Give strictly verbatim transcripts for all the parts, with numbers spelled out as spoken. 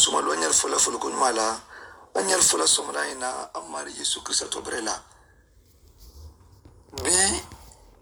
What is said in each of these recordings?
Sumalu a ñaari fola foluko ñuma la a ñaari fola somala ina a mari yesu kirista tobere la. Bi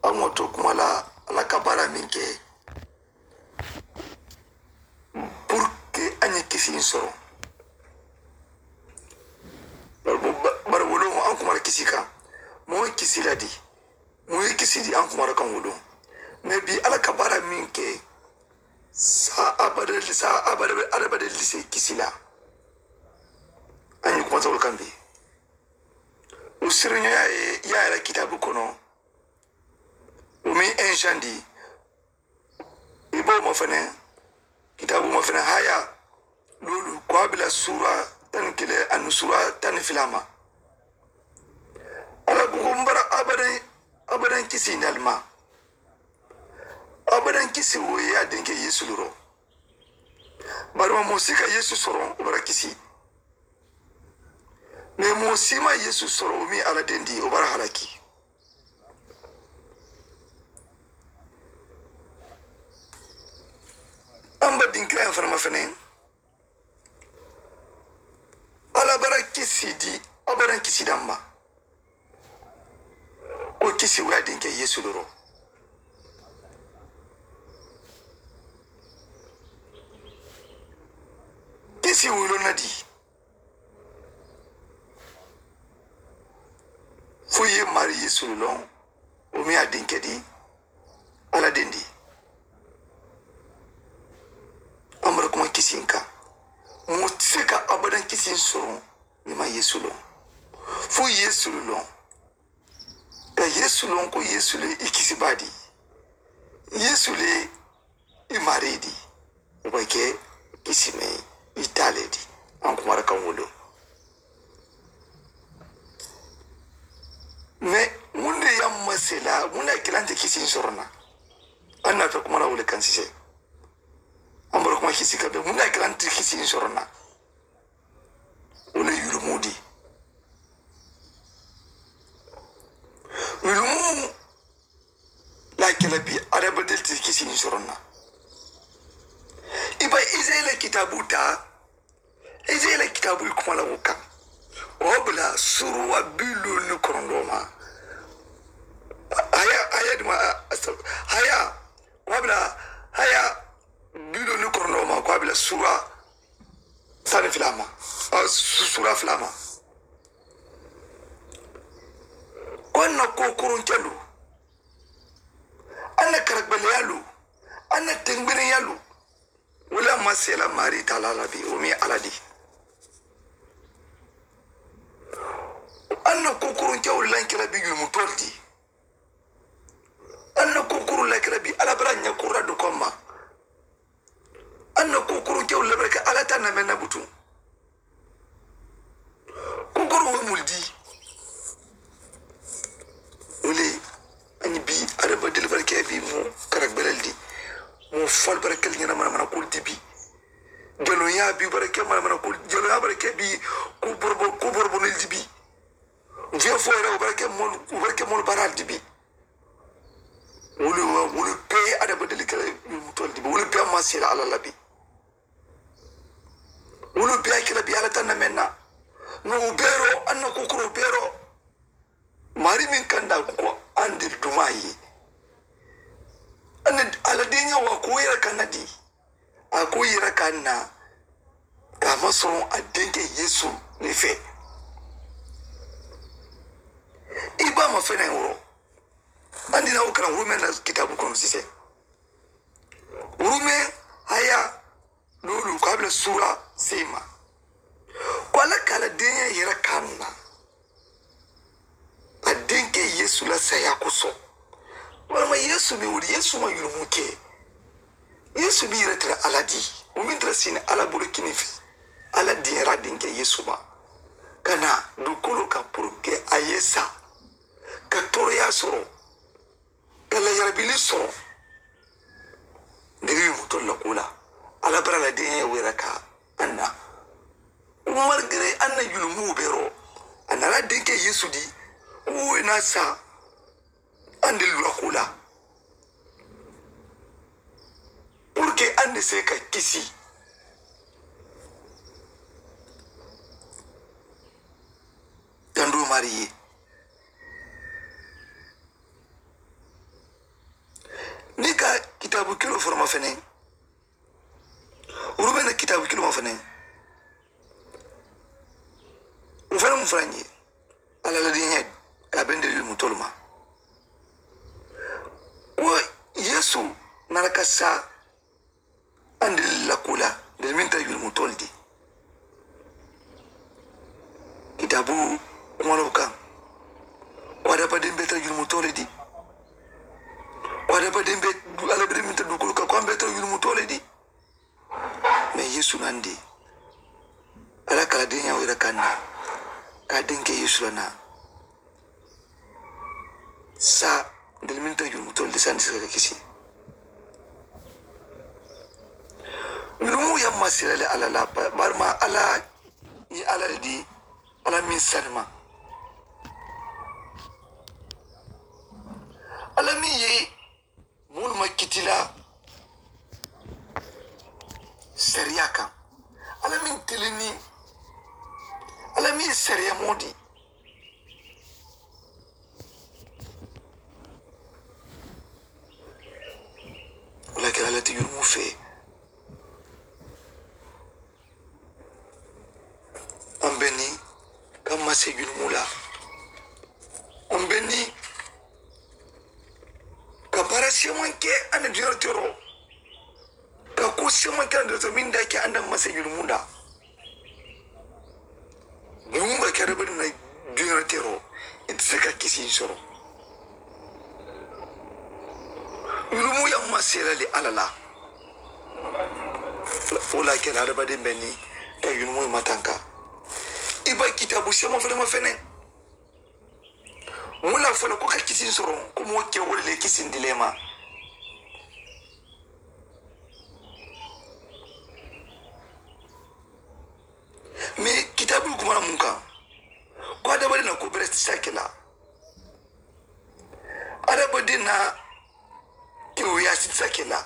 a moto kuma la a la kabara min ke purke a ñi kisi soro. Bari wolo an kuma la kisi kan mo kisi la di mo kisi di an kuma la kan wolo. Mais bi a la kabara min ke sa abada sa abada adabada lise kisi la. An yi kuma tawul kan bi o sirinya ya ya la kitabu kono. O mi en shandi i bo ma fene kitabu ma fene haya lolu ko abila sura tan kile an sura tan filama. Ala bugu mbara abadan abadan kisi nalma. Abadan kisi wo ya dinke yesu loro. Barima mo si ka yesu soro o bara kisi. Mais mo si ma yesu soro o mi ala dendi o bara halaki. An ba dinkira ya fana ma fana ala bara kisi di abadan kisi damma. Ko kisi wo ya dinke yesu loro. Kisi wo lonna di fo ye mari yesu lon. O mi a dinke di ala dendi. Amara kuma kisi ka mo se ka abadan kisi soro. Ni ma yesu lon fo yesu lon ka yesu lon ko yesu le i kisi ba di yesu le i mari di. Wo ba ke kisi me i tale di an kuma la kan wolo. Mais mun de ya masela mun de a kila nte kisi soro na. An na ta kuma la wole kan sise. An bara kuma kisi ka be mun de a kila nte kisi soro na. Wole yulumu di yulumu la kila bi adabadel ti kisi soro na. I ba israila kitabu ta ite i la kitaabulu kuma la wo kaŋ. Wo bula suruwa biilolu ni korondoo ma. Haya haya duma haya wo bula haya biilolu ni korondoo ma ko a bila suruwa sani filaa ma. Suruwa filaa ma. Ko a na ko koronkelu a na karagbeleyaalu a na tengbeleyaalu. Wala ma sela mari tala la bi o mi ala di. An na kokoro ke wala kira bi yumu tordi. An na kokoro la kira bi ala bara nya kura du komma. An na kokoro ke wala baraka ala ta na menna butu. Kokoro wo mul di. Wole ani bi adama deli barake bi mo karak belel di. Mo fal barakel ñana mana mana kul di bi. Jalo ya bi barake mana mana kul jalo ya barake bi. Ku borbo ku borbo nil di bi. Vieux frère barake mon barake mon baral di bi. Wole wole pe adama deli kala mo tol di bi wole pe ma sila ala labi. Wolu bee a ke la bi ala tanna meŋ na. Ŋa wo beeroo aŋ na kukuroo beeroo. Maari meŋ kaŋ daa ko aŋ de dumaa ye. Aŋ na a la deeñaa waa ko yere kaŋ na di. A ko yere kaŋ na. Ka a ma soroŋ a deŋke yeesu ne fee. I ba ma fene woro. Aŋ di na wo karaŋ wuru meŋ na kitaabu kono sise. Wuru meŋ haya. Loolu ko a be la suura seyi ma. Ko a la ka a la deeyaa yera kaanu na. A denkee yeesu la saayaa koso. Walama yeesu be wuli yeesu ma yulumu ke. Yeesu be yere tara ala di. Wo meŋ tara siini ala bulu kini fe. Ala diyara denkee yeesu ma. Ka na dukuloo ka puruke a ye sa. Ka toroyaa soro. Ka la yarabili soro. Nde wi mutol la kula. Ala bara la den wera ka anna. Umar gere anna yulumu bero. Anna la denke yesu di. Wo na sa. Ande lula kula. Pour que ande se ka kisi. Maari ye. Niŋ i ka kitaabu keloo fo le ma feneŋ, wurubee na kitaabu keloo ma feneŋ, wo fanaŋ mu fanaŋ ye. Alla la diiñaa ye a bende yurumutolu ma. Wo yeesu nara ka saa. Andi la kuu la ntelu meŋ tara yurumutolu ti. Kitaabu kumaloo kaŋ, ko adamadiŋ be tara yurumutoo le ti. Ko adamadiŋ be, alla be meŋ tara duukoolu kaŋ, ko a be tara yurumutoo le ti. Mais yeesu nandi, alla ka a la diiñaa wo yira kaŋ na, ka a denke yeesu la naa. Saa ntelu mennu te yurumutolu ti, saa nte si ka kisi. Yurumu ye masila le alla la, bari ma alla ye alla le di, alla meŋ sanima. Alla meŋ ye moolu ma kiti la sariyaa kaŋ, alla meŋ tilini, alla meŋ ye sariyaa moo di. Wo le ke alla ti yurumuu fee. An be niŋ ka mase yurumuu la. An be niŋ ka baara seemanke aniŋ duniyaa teroo, ka kuu seemanke aniŋ duniyaa teroo meŋ daa ke aniŋ mase yurumuu la. Yurumuu ka ke adamadiŋ na duniyaa teroo, i te se ka kisi soro. Yurumuu ye masela le alla la. Wo le ke la adamadiŋ be niŋ ka yurumuu matanka. I ba kitaabu seema fele ma feneŋ. Mu la fo le ko ka kisiŋ soroŋ ko moo ke wo le le kisiŋ di le ma. Mais kitaabu kuma la muŋ kaŋ, ko adamadiŋ na ko bere ti sa ke la. Adamadiŋ na kewuyaa ti sa ke la.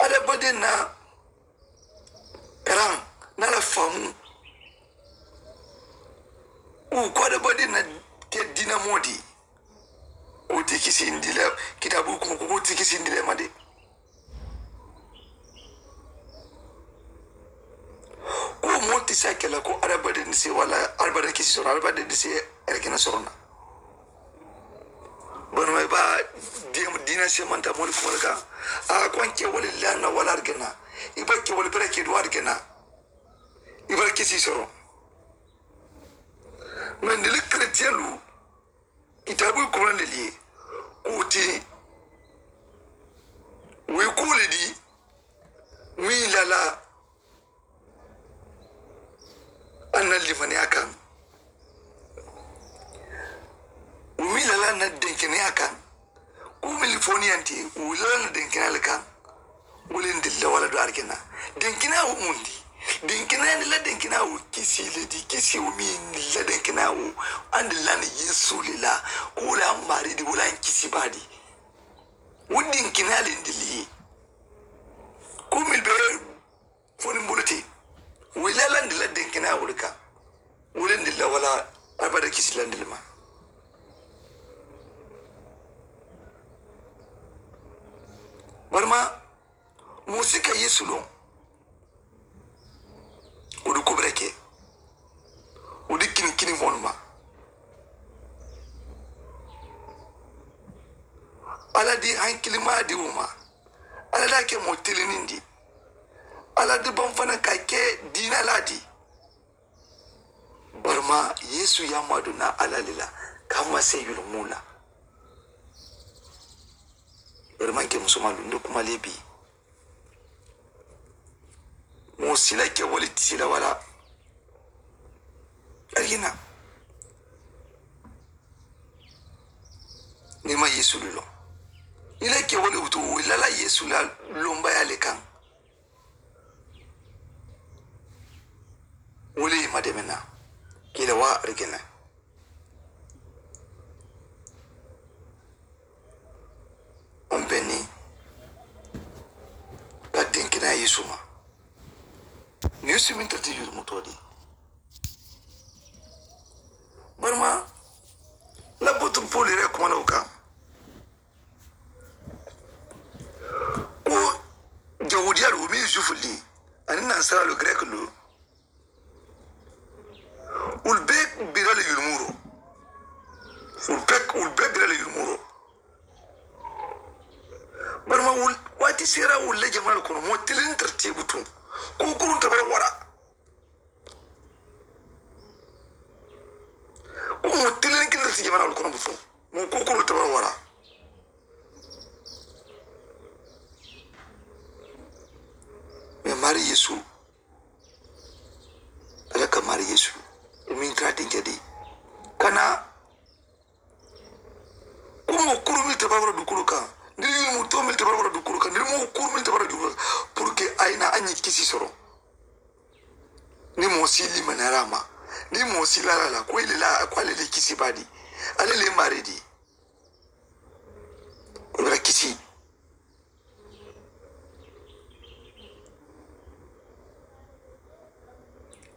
Adamadiŋ na karaŋ, na la faamu. Wo ko adamadiŋ na ke diina moo di. Wo ti kisindi le. Kitaabu kuma ko wo ti kisindi le ma de. Ko moo ti sa ke la ko adamadiŋ si wala adamadiŋ kisi soro adamadiŋ si erkina soro na. Bari ma i ba diina semanta moolu kuma le kaŋ. A ko n ke wali lanna wala argana. I ba ke wali bere ke do argana. I ba kisi soro. Mais ndeli chrétienlu, kitaabu kurandeli ye kuti. Wi kuli di wi lala. An na limaniyaa kaŋ. Wo miŋ lala na denkeneyaa kaŋ. Ko miŋ foniyanti wo lala na denkeneyaa le kaŋ. Wo le ndilla wala do arikena denkeneyaa wo mundi. Denkeneyaa ni la denkeneyaa wo kisi le di kisi wo miŋ la denkeneyaa wo. Andilla ni yesu le la. Ko wo le an maari di wo le an kisi baadi. Wo denkeneyaa le ndilli ye. Ko miŋ be fo niŋ bulu ti wo ye laalandi la denkeneyaa wo le kaŋ. Wo le ndilla walla abada kisi landi le ma. Barima moo si ka yeesu loŋ. Wo di kubira ke wo di kini kini moolu ma. Alla di hankilimaa di wo ma. Alla daa ke moo tiliniŋ di. Alla di baŋ fanaŋ ka a ke diina laa di. Barima yeesu ye a maaduna alla le la ka a maŋ seeyulu muu la. Barima nke musomaa lunde kuma le bii. Moo sila ke wali sila wala. Arigina. Niŋ i maŋ yeesu le loŋ i la kewolu wutu wo i lala yeesu la lombaya le kaŋ. Wo le ye i ma deme naa ke i la waa arigina. Aŋ be niŋ ka denkeneyaa yeesu ma. Yeesu meŋ tara ti yurumutoo le. Barima labbotu poolu yɛrɛ kuma la wo kaŋ ko jawudiyaalu wo meŋ ye juifulu le aniŋ nansaraalu gereklu wolu bee bira le yurumuro wolu bee wolu bee bira le yurumuro barima wolu waati seera wolu le jamaa le kono moo tiliŋ tara teebu tuŋ ko kuruŋ tabara wara ko moo tiliŋ kiliŋ tara si jamaa le kono butuŋ moo ko kuruŋ tabara wara mais maari yeesu ala ka maari yeesu i miŋ tara dinkɛ di kana ko moo kuru mili tabara wara dukuru kaŋ niri yiri mu to mili tabara wara dukuru kaŋ niri moo kuru mili tabara dukuru kaŋ pour que a ye na a ñi kisi soro ni moo si limanara ma ni moo si lala la ko ile la ko ale le kisi badi ale le maari di ko bira kisi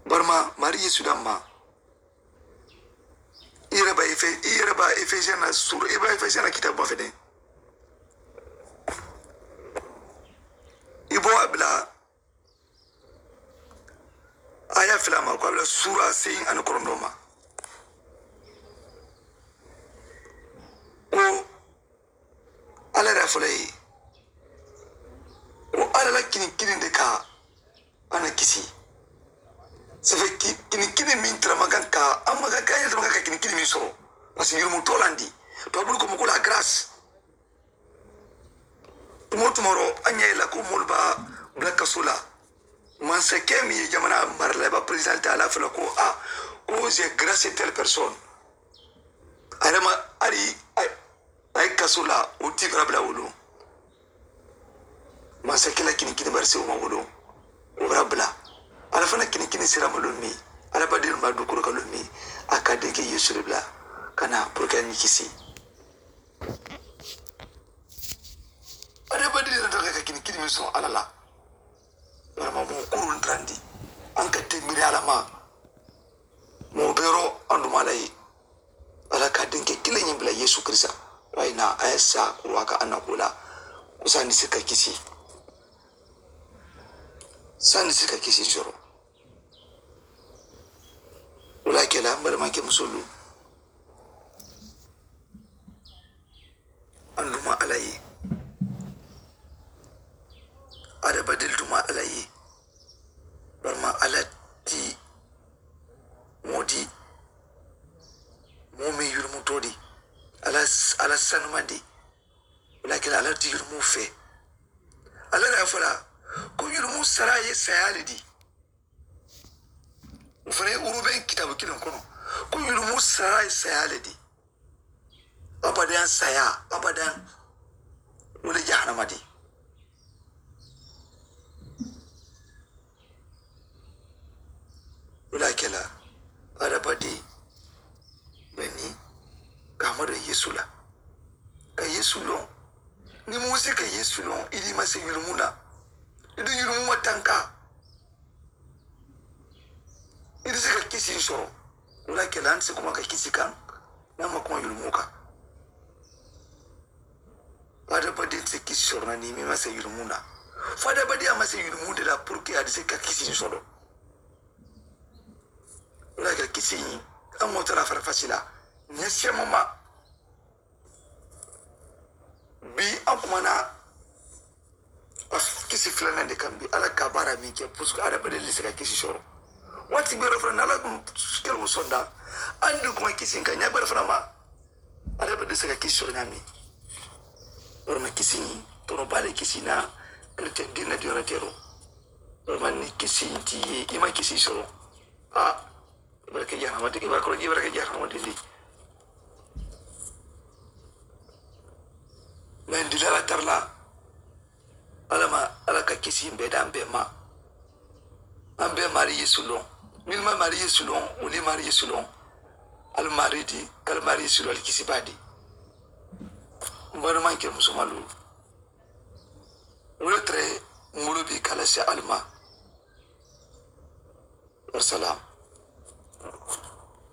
barima maari yeesu damma i yɛrɛ ba efe i yɛrɛ ba efesiyen na sura i ba efesiyen na kitabu ba fɛ dɛ i bɔ a bila a y'a fila ma ko a bila sura seyin ani kɔnɔntɔn ma ko ala yɛrɛ fɔlɔ ye ko ala la kini kini de ka ana kisi safe kini kini min tara makan ka an makan ka yɛrɛ makan ka kini kini min sɔrɔ parce que yurumutɔ lan di to bulu ko ko la grâce tumo tumɔrɔ an ɲɛ la ko moolu ba bila kaso la mansakɛ min ye jamana marala i ba président ta ala fɔlɔ ko a ko j'ai grâce telle personne a yɛrɛ ma ali a ye kaso la o ti bara bila wolo mansakɛ la kini kini bari se o ma wolo o bara bila ala fana kini kini sira ma lomi ala ba den ma dukoro ka lomi a ka den ke yesu de bila kana pour que ni kisi ada ba den da ka kini kini min sɔn ala la barama mo kurun trandi an ka tembiri ala ma mo bero anduma ala ye ala ka denke kile ñiŋ bila yesu kirisa wayina a ye sa kuruwa ka anna kula ko sani si ka kisi sani si ka kisi soro wala kela mbalima ke musolu anduma ala ye adabadil duma ala ye barima ala ti moo di moo meŋ yurumutoo di ala sanumandi walakin ala ti yurumu fee ala la fo la ko yurumu sara ye saya le di o fana ye uruben kitabu kiliŋ kono ko yurumu sara ye saya le di abadan saya abadan wo le jahannama di wo le a ke la adabadi be ni ka ma do yesu la ka yesu loŋ ni musa ka yesu loŋ i di ma se yulumu la i di yulumu ma tanka i di se ka kisi soro wo le a ke la an se kuma ka kisi kaŋ na ma kuma yulumu kaŋ Fadabadi ti kisi sɔrɔ na ni mi ma se yulumu na. Fadabadi a ma se yulumu de la pour que a di se ka kisi sɔrɔ. Wala ka kisi a mo tara fara fasila. Ne sema ma. Bi a kuma na kisi filanan de kan bi ala ka bara min ke pour que adabadi di se ka kisi sɔrɔ. Wati bere fara na la kun kero sonda. Andi kuma kisi kan ya bere fara ma. Ala be dese ka kisi sɔrɔ ñaami barama kisi tono baale kisi na chrétien dinna diona tero barama ni kisi ti ye i ma kisi sɔrɔ a baraka jahannama de baraka jahannama de baraka jahannama de. Men dilala tarla Alla ma Alla ka kisi mbe daŋ mbe ma. An be maari yeesu loŋ. Minnu ma maari yeesu loŋ wolu ye maari yeesu loŋ. Ali maari di kali maari yeesu loŋ ali kisi baa di. Mbe maŋ ke musumalu wolu tere mulu bi kala si ali ma. Wasalaam.